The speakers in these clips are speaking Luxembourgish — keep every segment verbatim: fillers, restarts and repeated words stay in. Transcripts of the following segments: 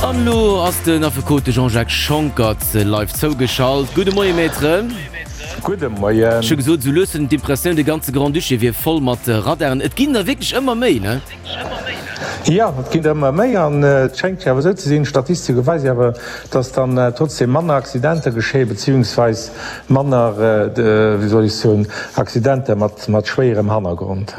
An elo ass den Affekot de Jean-Jacques Schonckert live zougeschalt. Gudde Moie Maître. Gudde Moien. Ech hu gesot, esou lues hunn d'Impressioun, de ganze Grand-Duché wier voll mat Radaren. Et ginn der wierklech ëmmer méi, ne? Jo, et ginn der ëmmer méi an et schéngt jo awer esou ze sinn, d'Statistike weise jo awer, dass dann trotzdem manner Accidenter geschéien, beziehungsweis manner, wéi soll ech soen, Accidenter mat mat schwéierem Hannergrond.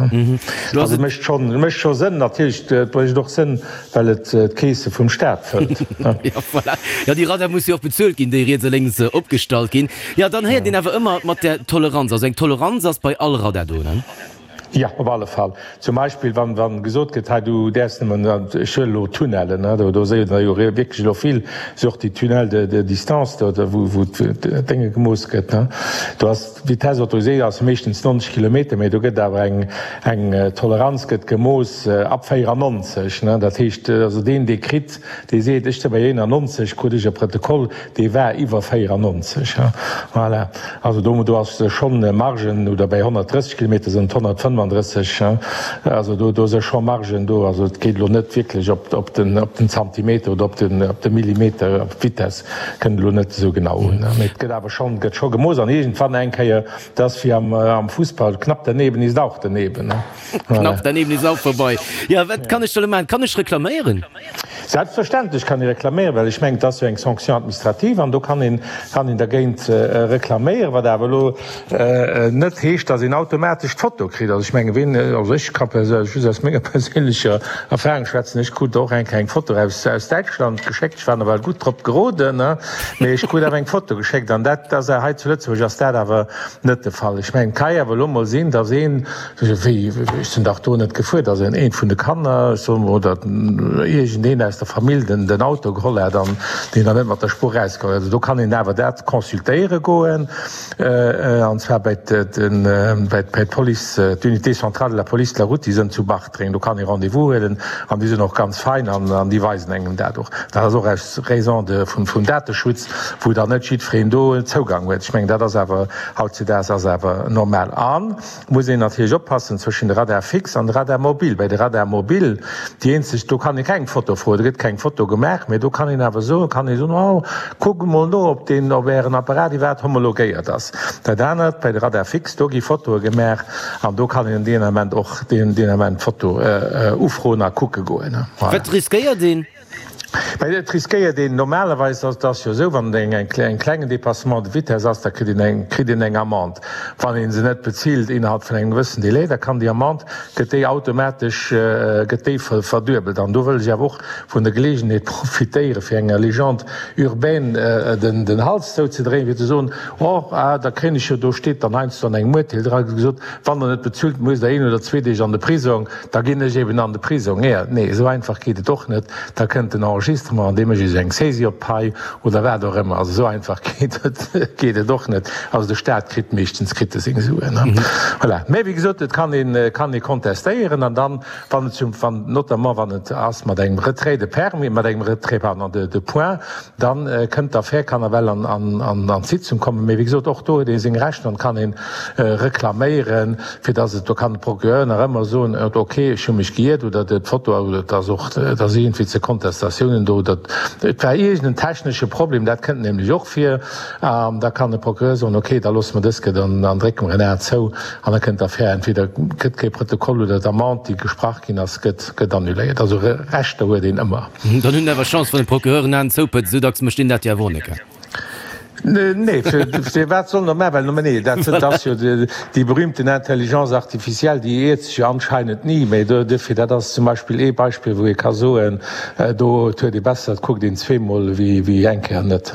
Also et mécht schonn, et mécht scho Sënn. Natierlech, et mécht och Sënn, well et d'Keese vum Staat fëllt. Jo, voilà. Jo, déi Radar musse jo och bezuelt ginn, déi riets a lénks opgestallt ginn. Jo, dann héiert een awer ëmmer mat där Toleranz. Also eng Toleranz ass bei all Radar do, ne? Jo, op alle Fall. Zum Beispill, wann, wann gesot gëtt, hei du däerfs nëmmen, ech huelen elo Tunnellen, ne, do, do seet der jo wierklech elo vill, sou och déi Tunnels de, de distance do, do wou, wou d'Dénge gemooss gëtt, ne, do ass d'Vitesse autorisée ass meeschtens neunzeg Kilometer, mee do gëtt awer eng, eng Toleranz gëtt gemooss ab véierannonzeg, ne. Dat heescht also deen, dee kritt, dee seet, ech si bei eenannonzeg, krut ech e Protokoll, dee war iwwer véierannonzeg, voilà. Also do, do ass schonn Margen, oder bäi honnertdrësseg Kilometer sinn et honnertfënnefandrësseg, also do, do si scho Margen do. Also et geet elo net wierklech op, op den, op den Zantimeter oder op den, op de Millimeter, op d'Vitesse kënnt elo net esou genau un. Mee et gëtt awer schonn, gëtt scho gemooss an iergendwann eng Kéier, dat ass wéi am, am Fussball, knapp daneben ist auch daneben. Knapp daneben ist auch vorbei. Jo, wat kann ech da elo maachen? Kann ech reklaméieren? Selbstverständlech kann ee reklaméieren, well ech mengen, et ass jo eng Sanction administrative an do kann een, kann een dergéint reklaméieren, wat awer elo net heescht, datt een automatesch d'Foto kritt. Also ech mengen, ween, also ech ka just aus menger perséinlecher Erfahrung schwätzen, ech krut och eng Kéier eng Foto aus, aus Däitschland geschéckt, ech war nawell gutt drop geroden, mee ech krut awer eng Foto geschéckt an dat ass hei zu Lëtzebuerg ass dat awer net de Fall. Ech mengen, et ka jo awer elo mol sinn, datt een, wéi, ech sinn dach do net gefuer, datt een eent vun de Kanner, ech soe mol, oder iergendeen aus der Famill den den Auto geholl hat an deen dann net mat der Spuer erauskomm ass. Also do kann een awer dat consultéiere goen, an zwar bei den, bei d'Police, d'Unité centrale de la police de la route, déi sënn zu Bartreng. Do kann ee Rendez-vous huelen an déi sinn och ganz fein an an déi weisen engem dat och. Dat ass och aus Raison de vum vum Dateschutz, wou dann net jiddwereen do Zougang huet. Ech mengen, dat ass awer hautzudaags ass awer normal. An muss een natierlech oppassen zwëschen de Radar fixe an de Radar mobile. Bei de Radar mobile, déi eenzeg, do kann ee keng Foto froen, do gëtt keng Foto gemaach, mee do kann een awer soen, kann ee soen, oh, kuckt emol no, ob deen, ob Ären Apparat iwwerhaapt homologéiert ass. Dat anert, bei de Radar fixe, do gi Fotoe gemaach an do kann een deen Ament och deen, deen Ament d'Foto ufroen a kucke goen. Voilà. Wat riskéiert een? Mä et riskéiert een normalerweis, et ass jo esou, wann et eng klengen Dépassement de vitesse ass, da kritt een eng, kritt een eng Amende. Wann ee se net bezilt innerhalb vun engem gewëssen Délai, da kann déi Amende, gëtt déi automatesch, gëtt déi verduebelt. An do wëll ech awer och vun der Geleegenheet profitéieren, fir enger Légende urbaine den, den Hals zouzedréien, fir ze soen, Oh, ah, da kréien ech jo, do steet dann heiansdo an engem Urteel dra gesot, wann Der net bezuelt, musst Der een oder zwee Deeg an de Prisong. Da ginn ech eben an de Prisong. Nee, nee, esou einfach geet et och net. Da kënnt den Enregistrement an dee mécht iech eng Saisie op d'Pai oder wat och ëmmer. Also esou einfach geet et, geet et och net. Also de Staat kritt meeschtens kritt e seng Suen. Voilà. Mä wéi gesot, et kann een, kann ee kontestéieren an dann, wann et zum, wann, notamment wann et ass mat engem Retrait de permis, mat engem Retrait, pardon, de, de points, dann kënnt d'Affär, kann ewell an, an, an, an d'Sitzung kommen. Mä wéi gesot, och do huet ee seng Rechter an kann een reklaméieren, fir dass et, do kann de Procureur nach ëmmer soen, ok, ech hu mech geiert oder d'Foto, oder et ass och, et ass iergendwéi ze Kontestatiounen do oder et war iergend en technesche Problem, dat kënnt nämlech och vir, an da kann de Procureur soen, ok, da loosse mer dës gëtt an dann drécke mer en A zou an da kënnt d'Affär, entweder gëtt kee Protokoll oder d'Amende, déi gesprach ginn ass, gëtt, gëtt annuléiert. Also Rechter huet een ëmmer. Dann hunn awer Chance, wann de Procureur en Aen zoupëtzt, esou dacks mécht deen dat jo awer och net. Nee, fir wat soll en dat maachen? Well, nee, dat ass jo déi berühmten Intelligence artificielle, déi iert sech jo anscheinend ni. Mä duerfir, dat ass zum Beispill ee Beispill, wou ee ka soen, do huet ee besser, et kuckt een zweemol wéi eng Kéier net.